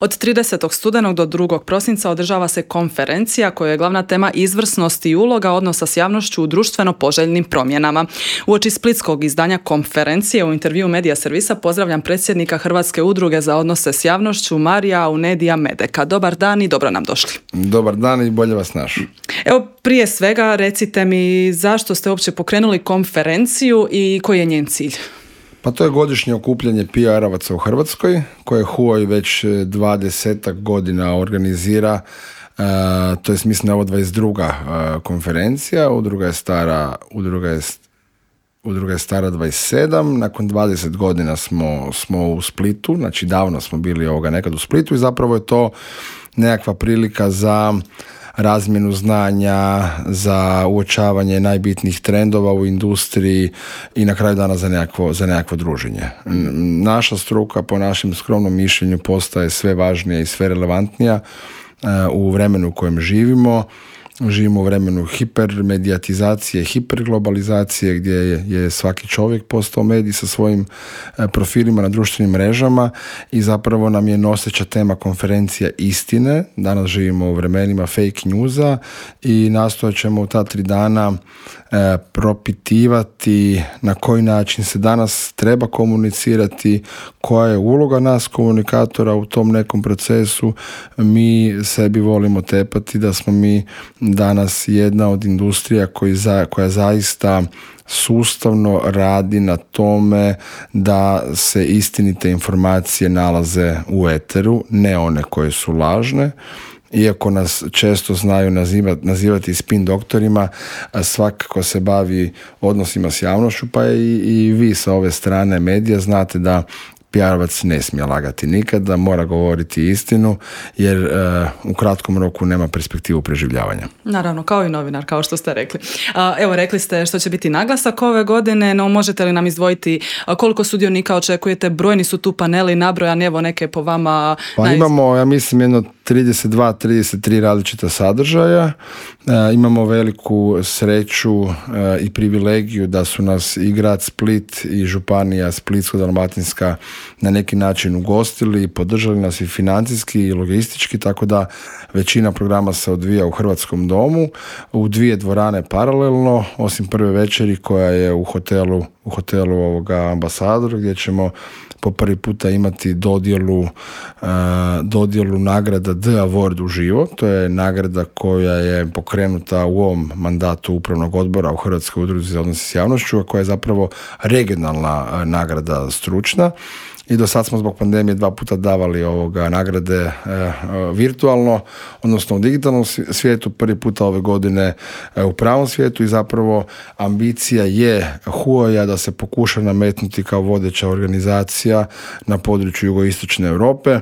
Od 30. studenog do 2. prosinca održava se konferencija koja je glavna tema izvrsnost i uloga odnosa s javnošću u društveno poželjnim promjenama. Uoči splitskog izdanja konferencije u intervju Medija servisa pozdravljam predsjednika Hrvatske udruge za odnose s javnošću Marija Aunedija Medeka. Dobar dan i dobro nam došli. Dobar dan i bolje vas našli. Evo, prije svega recite mi zašto ste uopće pokrenuli konferenciju i koji je njen cilj? Pa to je godišnje okupljanje PR-ovaca u Hrvatskoj, koje HUOJ već 20 godina organizira, to je mislim da je ovo 22. konferencija, udruga je stara 27, nakon 20 godina smo u Splitu, znači davno smo bili nekad u Splitu i zapravo je to nekakva prilika za razmjenu znanja, za uočavanje najbitnijih trendova u industriji i na kraju dana za nekakvo druženje. Naša struka, po našem skromnom mišljenju, postaje sve važnija i sve relevantnija u vremenu u kojem živimo. Živimo u vremenu hipermedijatizacije, hiperglobalizacije gdje je svaki čovjek postao medij sa svojim profilima na društvenim mrežama i zapravo nam je noseća tema konferencija istine. Danas živimo u vremenima fake newsa i nastojat ćemo u ta 3 dana propitivati na koji način se danas treba komunicirati, koja je uloga nas komunikatora u tom nekom procesu. Mi sebi volimo tepati da smo mi danas jedna od industrija koja zaista sustavno radi na tome da se istinite informacije nalaze u eteru, ne one koje su lažne. Iako nas često znaju nazivati spin doktorima, svakako se bavi odnosima s javnošću, pa i vi sa ove strane medija znate da PR-ovac ne smije lagati nikada, mora govoriti istinu, jer u kratkom roku nema perspektivu preživljavanja. Naravno, kao i novinar, kao što ste rekli. Evo, rekli ste što će biti naglasak ove godine, no možete li nam izdvojiti koliko sudionika očekujete? Brojni su tu paneli nabrojani, evo neke po vama. Pa imamo, ja mislim, jedno 32-33 različita sadržaja. Imamo veliku sreću i privilegiju da su nas i grad Split i županija Splitsko-dalmatinska na neki način ugostili i podržali nas i financijski i logistički, tako da većina programa se odvija u Hrvatskom domu, u 2 dvorane paralelno, osim prve večeri koja je u hotelu Ambasador, gdje ćemo po prvi puta imati dodjelu nagrada The Award uživo. To je nagrada koja je pokrenuta u ovom mandatu upravnog odbora u Hrvatskoj udruzi za odnose s javnošću, a koja je zapravo regionalna nagrada stručna. I do sad smo zbog pandemije 2 puta davali nagrade virtualno, odnosno u digitalnom svijetu, prvi puta ove godine u pravom svijetu i zapravo ambicija je HUOJ-a da se pokuša nametnuti kao vodeća organizacija na području jugoistočne Europe.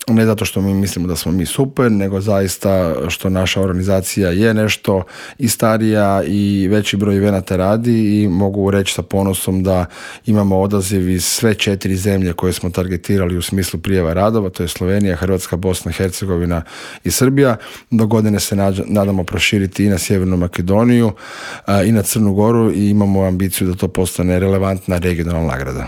Ne zato što mi mislimo da smo mi super, nego zaista što naša organizacija je nešto i starija i veći broj evenata radi i mogu reći sa ponosom da imamo odaziv iz sve 4 zemlje koje smo targetirali u smislu prijava radova, to je Slovenija, Hrvatska, Bosna, Hercegovina i Srbija. Do godine se nadamo proširiti i na Sjevernu Makedoniju i na Crnu Goru i imamo ambiciju da to postane relevantna regionalna nagrada.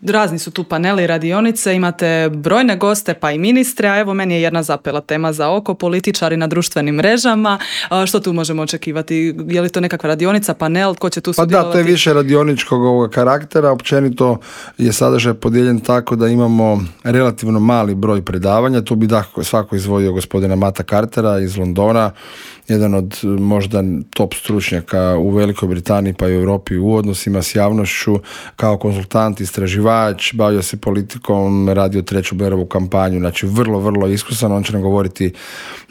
Razni su tu paneli, radionice, imate brojne goste pa i ministre, a evo meni je jedna zapela tema za oko, političari na društvenim mrežama. Što tu možemo očekivati? Je li to nekakva radionica, panel, tko će tu sudjelovati? Pa da, to je više radioničkog karaktera, općenito je sadržaj podijeljen tako da imamo relativno mali broj predavanja, tu bi svako izdvojio gospodina Mata Cartera iz Londona, jedan od možda top stručnjaka u Velikoj Britaniji pa i u Europi u odnosima s javnošću, kao konzultant, istraživač, bavio se politikom, radio 3. Blairovu kampanju, znači vrlo, vrlo iskusan. On će nam govoriti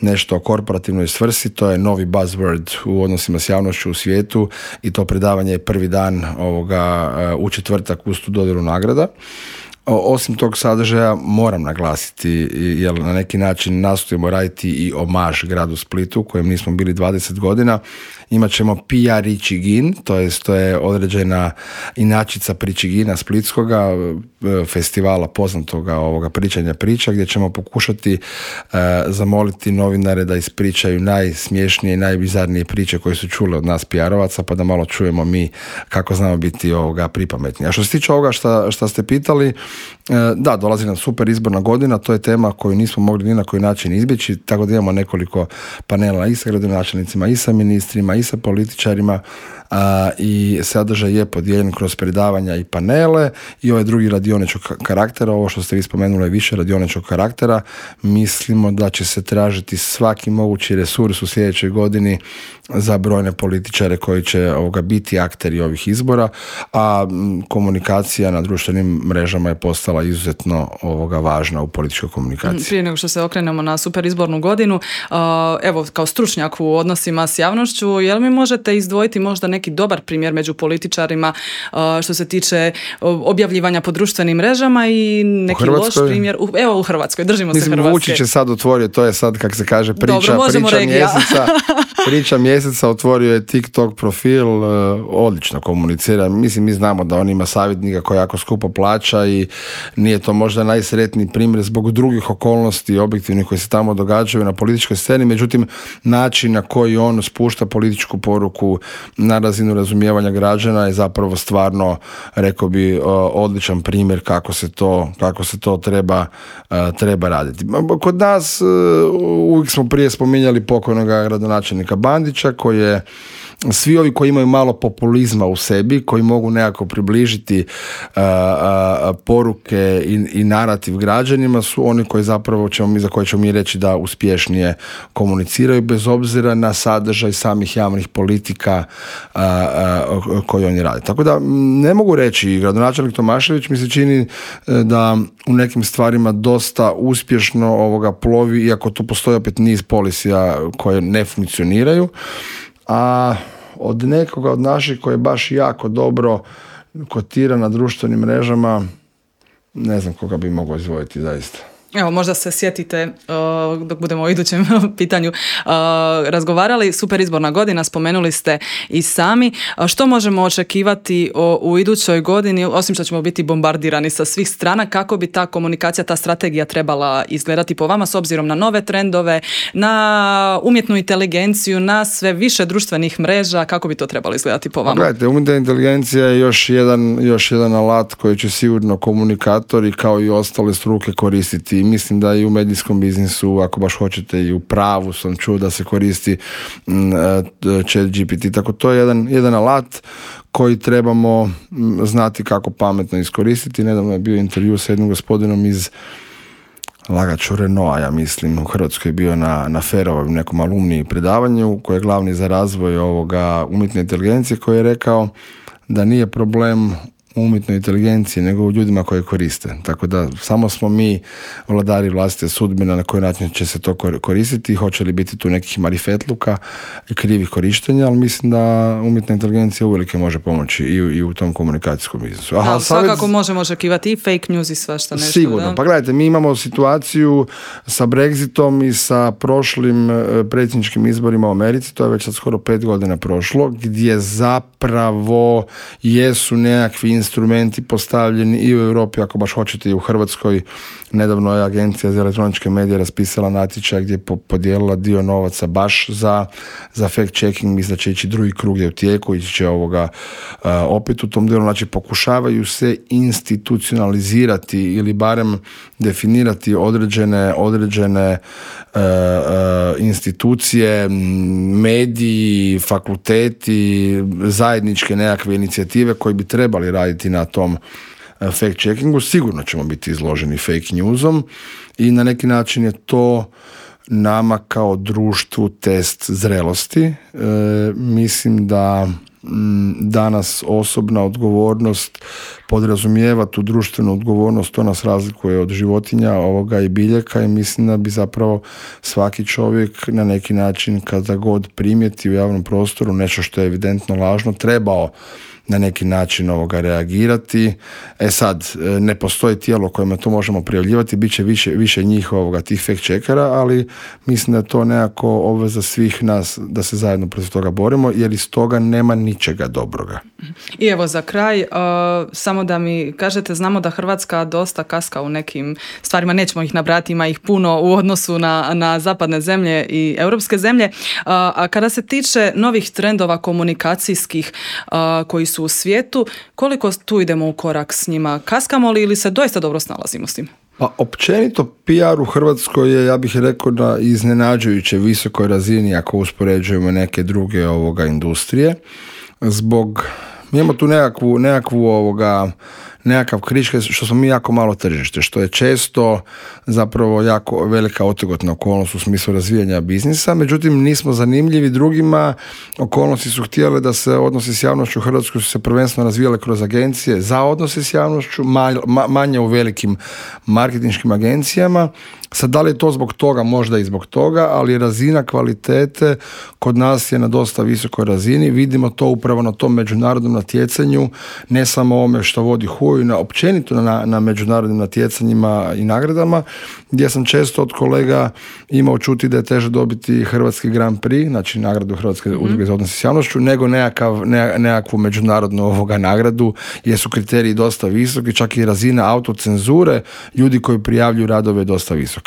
nešto o korporativnoj svrsi, to je novi buzzword u odnosima s javnošću u svijetu i to predavanje je prvi dan u četvrtak uz tu dodjelu nagrada. Osim tog sadržaja moram naglasiti, jer na neki način nastojimo raditi i omaž gradu Splitu, kojem nismo bili 20 godina. Imat ćemo PR Ičigin, to je određena inačica Pričigina splitskoga, festivala poznatoga pričanja priča, gdje ćemo pokušati zamoliti novinare da ispričaju najsmješnije i najbizarnije priče koje su čule od nas PR-ovaca, pa da malo čujemo mi kako znamo biti pripametni. A što se tiče ovoga što ste pitali, Da, dolazi nam super izborna godina, to je tema koju nismo mogli ni na koji način izbjeći, tako da imamo nekoliko panela i sa gradonačelnicima, i sa ministrima, i sa političarima, i sadržaj je podijeljen kroz predavanja i panele i ovaj drugi radioničkog karaktera. Ovo što ste vi spomenuli je više radioničkog karaktera. Mislimo da će se tražiti svaki mogući resurs u sljedećoj godini za brojne političare koji će biti akteri ovih izbora, a komunikacija na društvenim mrežama je postala izuzetno važna u političkoj komunikaciji. Prije nego što se okrenemo na super izbornu godinu, evo kao stručnjak u odnosima s javnošću, jel mi možete izdvojiti možda neki dobar primjer među političarima što se tiče objavljivanja po društvenim mrežama i neki loš primjer? Evo u Hrvatskoj, držimo se Hrvatske. Vučić je sad otvorio, to je sad kako se kaže priča mjeseca, otvorio je TikTok profil, odlično komunicira. Mislim, mi znamo da on ima savjetnika koji jako skupo plaća i nije to možda najsretniji primjer zbog drugih okolnosti objektivnih koji se tamo događaju na političkoj sceni, međutim način na koji on spušta političku poruku na razinu razumijevanja građana je zapravo stvarno, rekao bi, odličan primjer kako se to treba raditi. Kod nas uvijek smo prije spominjali pokojnog gradonačelnika Bandića, koji je svi ovi koji imaju malo populizma u sebi, koji mogu nekako približiti poruke i narativ građanima, su oni koji zapravo za koje ćemo mi reći da uspješnije komuniciraju bez obzira na sadržaj samih javnih politika koje oni rade. Tako da ne mogu reći, gradonačelnik Tomašević mi se čini da u nekim stvarima dosta uspješno plovi, iako tu postoji opet niz policija koje ne funkcioniraju, a od nekoga od naših koji je baš jako dobro kotira na društvenim mrežama, ne znam koga bi mogao izdvojiti zaista. Evo, možda se sjetite dok budemo o idućem pitanju razgovarali. Super izborna godina, spomenuli ste i sami. Što možemo očekivati u idućoj godini, osim što ćemo biti bombardirani sa svih strana, kako bi ta komunikacija, ta strategija trebala izgledati po vama s obzirom na nove trendove, na umjetnu inteligenciju, na sve više društvenih mreža, kako bi to trebalo izgledati po vama? Gledajte, umjetna inteligencija je još jedan alat koji će sigurno komunikatori kao i ostale struke koristiti. Mislim da i u medijskom biznisu, ako baš hoćete, i u pravu sam čuo da se koristi ChatGPT. Tako to je jedan alat koji trebamo znati kako pametno iskoristiti. Nedavno je bio intervju sa jednim gospodinom iz Lagaću Renaulta, ja mislim, u Hrvatskoj je bio na Ferovom nekom alumniji predavanju koji je glavni za razvoj umjetne inteligencije, koji je rekao da nije problem umjetnoj inteligenciji nego u ljudima koji koriste. Tako da samo smo mi vladari vlastite sudbine na koji način će se to koristiti, hoće li biti tu nekih marifetluka i krivih korištenja, ali mislim da umjetna inteligencija uvelike može pomoći i u tom komunikacijskom biznisu. Svakako možemo očekivati i fake news i svašta nešto. Sigurno. Da? Pa gledajte, mi imamo situaciju sa Brexitom i sa prošlim predsjedničkim izborima u Americi, to je već sad skoro 5 godina prošlo, gdje zapravo jesu nekakvi instrumenti postavljeni i u Europi, ako baš hoćete i u Hrvatskoj. Nedavno je Agencija za elektroničke medije raspisala natječaj gdje je podijelila dio novaca baš za fact checking. Mislim da će ići drugi krug je u tijeku, ići će opet u tom dijelu. Znači pokušavaju se institucionalizirati ili barem definirati određene institucije, mediji, fakulteti, zajedničke nekakve inicijative koji bi trebali raditi na tom fact checkingu. Sigurno ćemo biti izloženi fake newsom i na neki način je to nama kao društvu test zrelosti. Mislim da danas osobna odgovornost podrazumijeva tu društvenu odgovornost, to nas razlikuje od životinja i biljaka i mislim da bi zapravo svaki čovjek na neki način kada god primijeti u javnom prostoru nešto što je evidentno lažno trebao na neki način reagirati. Sad, ne postoji tijelo kojima to možemo prijavljivati, bit će više njih tih fact checkera, ali mislim da je to nekako obveza svih nas da se zajedno protiv toga borimo, jer iz toga nema ničega dobroga. I evo za kraj, samo da mi kažete, znamo da Hrvatska dosta kaska u nekim stvarima, nećemo ih nabrati, ima ih puno u odnosu na zapadne zemlje i europske zemlje, a kada se tiče novih trendova komunikacijskih koji su su u svijetu. Koliko tu idemo u korak s njima? Kaskamo li ili se doista dobro snalazimo s tim? Pa općenito PR u Hrvatskoj je, ja bih rekao, na iznenađujuće visokoj razini ako uspoređujemo neke druge industrije. Mi imamo tu nekakav križ što smo mi jako malo tržište, što je često zapravo jako velika otegotna okolnost u smislu razvijanja biznisa, međutim nismo zanimljivi drugima, okolnosti su htjele da se odnosi s javnošću u Hrvatskoj su se prvenstveno razvijale kroz agencije za odnose s javnošću, manje u velikim marketinškim agencijama. Sad, da li je to zbog toga, možda i zbog toga, ali razina kvalitete kod nas je na dosta visokoj razini. Vidimo to upravo na tom međunarodnom natjecanju, ne samo ovome što vodi HUJ, općenito na međunarodnim natjecanjima i nagradama, gdje sam često od kolega imao čuti da je teže dobiti Hrvatski Grand Prix, znači nagradu Hrvatske udruge za odnose s javnošću, nego nekakvu međunarodnu nagradu, jer su kriteriji dosta visoki, čak i razina autocenzure ljudi koji prijavljuju radove je dosta visoka.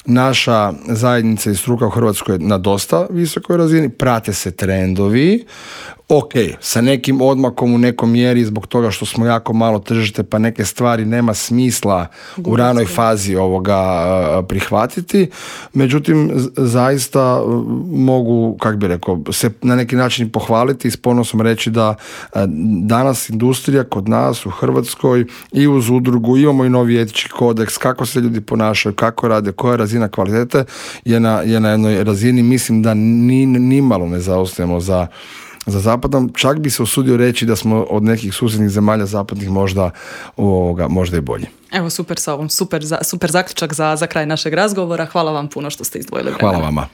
Naša zajednica i struka u Hrvatskoj je na dosta visokoj razini, prate se trendovi, ok, sa nekim odmakom u nekom mjeri zbog toga što smo jako malo tržište pa neke stvari nema smisla u ranoj fazi prihvatiti, međutim zaista mogu, kako bi rekao, se na neki način pohvaliti i s ponosom reći da danas industrija kod nas u Hrvatskoj i uz udrugu imamo i novi etički kodeks, kako se ljudi ponašaju, kako rade, koja je razina kvalitete je na jednoj razini, mislim da nimalo ne zaostajemo za zapadom, čak bi se usudio reći da smo od nekih susjednih zemalja zapadnih možda i bolji. Evo, super sa ovom, super zaključak za kraj našeg razgovora. Hvala vam puno što ste izdvojili vremena. Hvala vama.